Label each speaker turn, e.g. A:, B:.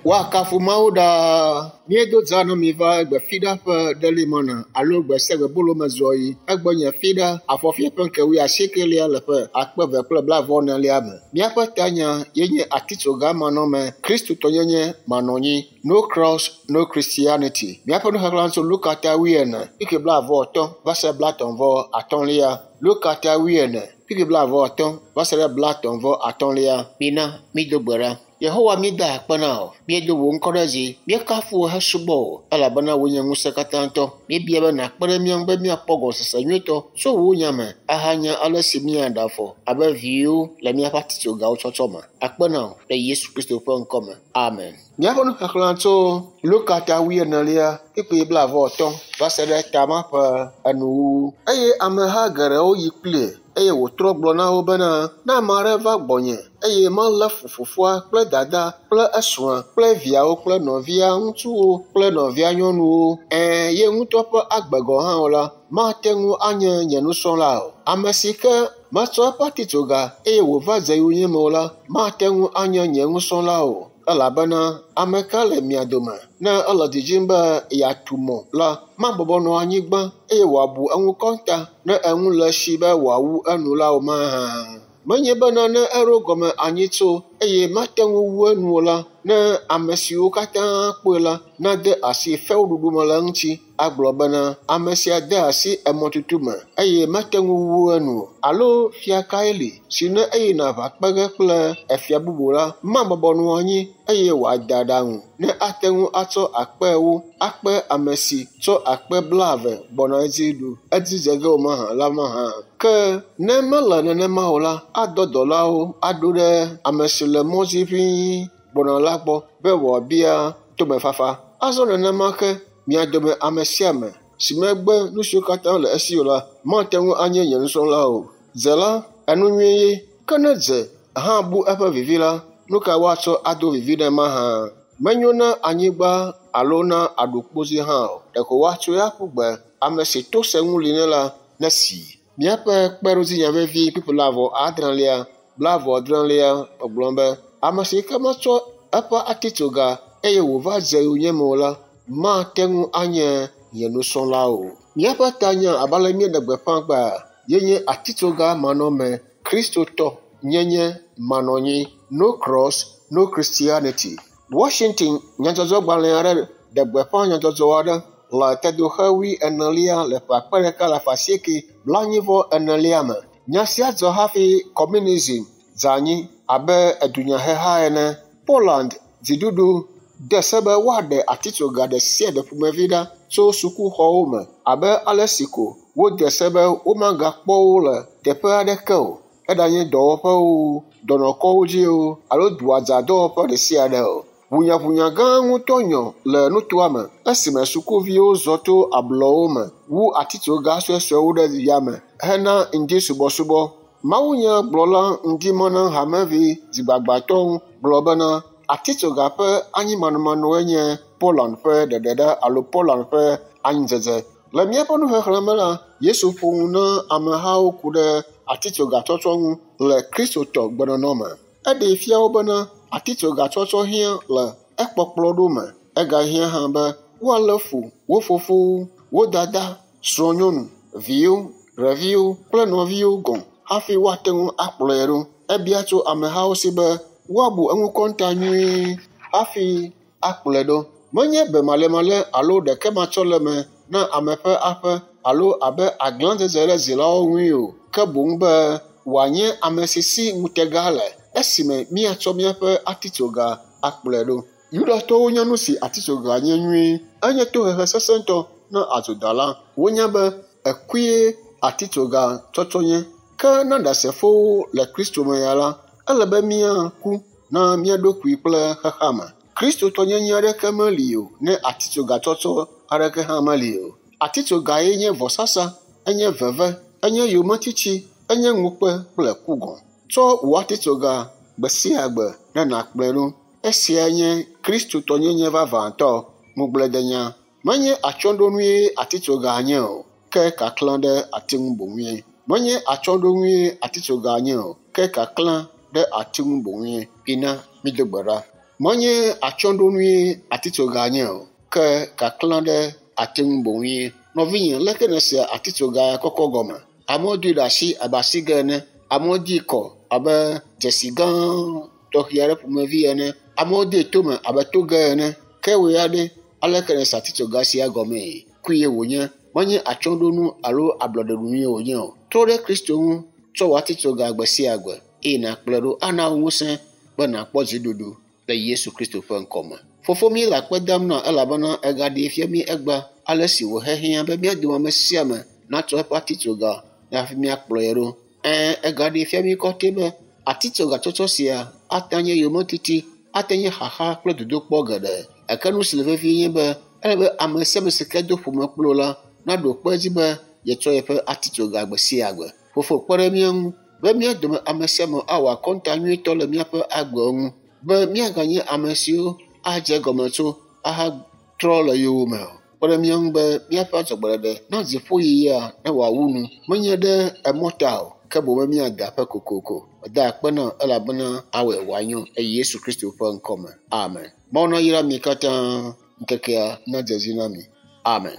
A: Woakafu Mawu ɖaa. Míedo dza na mi va egbe fiɖa ƒe ɖelimɔna alo gbe sia gbe bolome zɔɣi. Egbe nye fiɖa afɔfia ƒe ŋke wuiasiekelia le ƒe akpe eve kple blaeve-vɔ-enelia me. Míaƒe tanya ye nye atitsoga manɔme, kristotɔnyenye manɔnyi. No cross, no Christianity. Míaƒe nuxexlẽ tso Luka ta wuiene, kpukpui blaeve-vɔ-atɔ̃ va se blatɔ̃-vɔ-atɔ̃lia. Luka ta wuiene, kpukpui blaeve-vɔ-atɔ̃ va se ɖe blatɔ̃-vɔ-atɔ̃lia. Mina mído gbe ɖa. Yehowa míeda akpe na wò. Míedo wò ŋkɔ ɖe dzi. Míekafu wò hesubɔ wò elabena wòe nye ŋusẽkatãtɔ. Míebia be nàkpe ɖe mía ŋu be míakpɔ gɔmesese nyuietɔ tso wò nya me ahanya ale si míaɖe afɔ abe viwo le míaƒe atitsogawo tsɔtsɔ me. Akpe na wò le Yesu Kristo ƒe ŋkɔ me. Amen. Míaƒe nuxexlẽ tso Luka ta wuienelia kpukpui blaeve-vɔ-atɔ̃ va se ɖe ta ma ƒe enuwuwu. Eye ameha geɖewo yi kplii eye wòtrɔ gblɔ na wo bena, ne ame aɖe va gbɔnye eye melé fu fofoa kple dada kple esrɔ̃a kple viawo kple nɔvia ŋutsuwo kple nɔvia nyɔnuwo, ɛ̃, ye ŋutɔ ƒe agbe gɔ̃ hã o la, mate ŋu anye nye nusrɔ̃la o. Ame si ke metsɔ eƒe atitsoga eye wòva dze yonyeme o la, mate ŋu anye nye nusrɔ̃la o. Elabena ame ka le mia dome ne ele didim be yeatu mɔ la, mabɔbɔ nɔ anyigba eye wòabu eŋu kɔnta ne enu le esi be wòawu enu la o mahã. Menye bena ne eɖo gɔme anyi tso eye mate ŋu wu enu o la, ne ame siwo katã kpɔe la nade asi fewuɖuɖu me le eŋuti agblɔ bena ame sia de asi emɔtutu me eye mete ŋu wu enu o. Alo fia kae li si ne eyina aʋa kpe ge kple efia bubu la, mabɔbɔ nɔ anyi eye wòada aɖaŋu ne ate ŋu atsɔ akpe ewo akpe ame si tsɔ akpe blaeve gbɔna edzi ɖu edzi dze ge o mahã la mahã. Ke ne mele nenema o la, adɔ dɔlawo aɖo ɖe ame si le mɔ dzi ʋĩi gbɔna la gbɔ be wòabia tomefafa. Azɔ nenema ke mia dome ame sia ame si megbe nu siwo katã le esi o la, mate ŋu anye nye nusrɔ̃la o. Dze la, enu nyui ye, ke ne dze hã bu eƒe vivi la, nu ka woatsɔ ado vivi nɛ mahã? Menyo na anyigba alo na aɖukpozi hã o. Ɖeko woatsɔe aƒu gbe. Ame si to sẽŋu li nɛ la, nesii. Míaƒe kpeɖodzinya vevi kpukpui blaeve-vɔ-adrelia, blaeve-vɔ-adrelia gbɔgblɔm be ame si ke metsɔ eƒe atitsoga eye wòva dze yonyeme o la, mate ŋu anye nye nusrɔ̃la o. Míaƒe tanya abe ale míeɖe gbeƒã gbea ye nye atitsoga manɔme, kristotɔ nyenye manɔnyi. No cross, no Christianity. Washington nyadzɔdzɔgbalẽ aɖe ɖe gbeƒã nyadzɔdzɔ aɖe le tedoxe wuienelia le ƒe akpe ɖeka alafa asieke blaenyi-vɔ-enelia me. Nya sia dzɔ hafi communism dze anyi abe edunyaheha ene. Poland dziɖuɖu de se be woaɖe atitsoga ɖe sia ɖe ƒomevi ɖa tso sukuxɔwo me abe ale si ko wode se be womagakpɔ wo le teƒe aɖeke o, eɖanye dɔwɔƒewo, dɔnɔkɔwo dzi o alo duadzadɔwɔƒe ɖe sia ɖe o. Ʋunyaʋunya gã ŋutɔ nyɔ le nutoa me esime sukuviwo zɔ to ablɔwo me wu atitsoga suesuewo ɖe yame hena ŋdisubɔsubɔ. Mawunyagblɔla ŋdimɔna hamevi dzigbagbatɔwo gblɔ bena atitsoga ƒe anyimanɔmanɔe nye Poland ƒe ɖeɖeɖa alo Poland ƒe anyidzedze. Le míaƒe nuxexlẽ me la, Yesu ƒo nu na amehawo ku ɖe atitsogatsɔtsɔ ŋu le kristotɔ gbenɔnɔ me. Eɖee fia wo bena atitsogatsɔtsɔ hiã le ekpɔkplɔ ɖo me. Egahiã hã be woalé fu wo fofowo, wo dada, srɔ̃nyɔnu, viwo, ɖeviwo kple nɔviwo gɔ̃ hafi woate ŋu akplɔe ɖo. Ebia tso amehawo si be woabu eŋu kɔnta nyuie hafi akplɔe ɖo. Menye bemalémalé alo ɖekematsɔleme na ame ƒe aƒe alo abe aglãdzedze ɖe dzilawo ŋui o, ke boŋ be wòanye ame si si ŋutega le esime míatsɔ míaƒe atitsoga akplɔe ɖo. Yudatɔwo nya nu si atitsoga nye nyuie. Enye tohehe sesẽtɔ na adzodala. Wonya be ekue atitsoga tsɔtsɔ nye. Ke na ɖasefowo le Kristo me ya la, ele be míaku na mía ɖokui kple xexeame. Kristotɔnyenye aɖeke meli o ne atitsoga tsɔtsɔ aɖeke hã meli o. Atitsogae nye vɔsasa, enye veve, enye yometiti, enye ŋukpe kple ku gɔ̃. Tsɔ wò atitsoga gbe sia gbe ne nàkplɔe ɖo. Esia nye kristotɔnyenye vavãtɔ. Ŋugbledenya. Menye atsyɔ̃ɖonue atitsoga nye o. Ke kaklã ɖe ati ŋu boŋue. Menye atsyɔ̃ɖonue atitsoga nye o, ke kaklã ɖe ati ŋu boŋue. Mina mído gbe ɖa. Menye atsyɔ̃ɖonue atitsoga nye o, ke kaklã ɖe ati ŋu boŋue. Nɔvinye, leke nèsea atitsoga kɔkɔ gɔme? Amewo doe ɖe asi abe asigɛ ene, amewo dee kɔ abe dzesi gã tɔxɛ aɖe ƒomevi ene, amewo dee tome abe toge ene. Ke wò ya ɖe, aleke nèse atitsoga sia gɔmee? Kue wònye, menye atsyɔ̃ɖonu alo ablɔɖeɖunue wònye o. Trɔ ɖe Kristo ŋu, tsɔ wò atitsoga gbe sia gbe eye nàkplɔe ɖo ana wò ŋusẽ be nàkpɔ dziɖuɖu le Yesu Kristo ƒe ŋkɔme. Fofo mí le akpe dam na elabena ègaɖee fia mí egbea ale si wòhehiã be mía dome ame sia ame natsɔ eƒe atitsoga hafi míakplɔe ɖo. Ɛ̃, egaɖee fia mí kɔtɛ be atitsoga tsɔtsɔ sia ate nye yometiti, ate nye xaxa kple dodokpɔ geɖe. Gake nu si le vevie nye be ele be ame sia ame si ke do ƒome kpli wò la naɖo kpe edzi be yetsɔ yeƒe atitsoga gbe sia gbe. Fofo kpe ɖe mía ŋu be mía dome ame sia ame awɔ akɔnta nyuitɔ le míaƒe agbewo ŋu be míaganye ame siwo adze egɔme tso ahatrɔ le yowòme o. Kpe ɖe mía ŋu be míaƒe adzɔgbeɖeɖe na dziƒoyiyia ne wòawu nu, menye ɖe emɔ ta o, ke boŋ be míade aƒe kokoko. Meda akpe na wò elabena awɔe wòanyo le Yesu Kristo ƒe ŋkɔme. Amen. Mawu nayra mi katã ŋkekea nadze edzi na mi. Amen.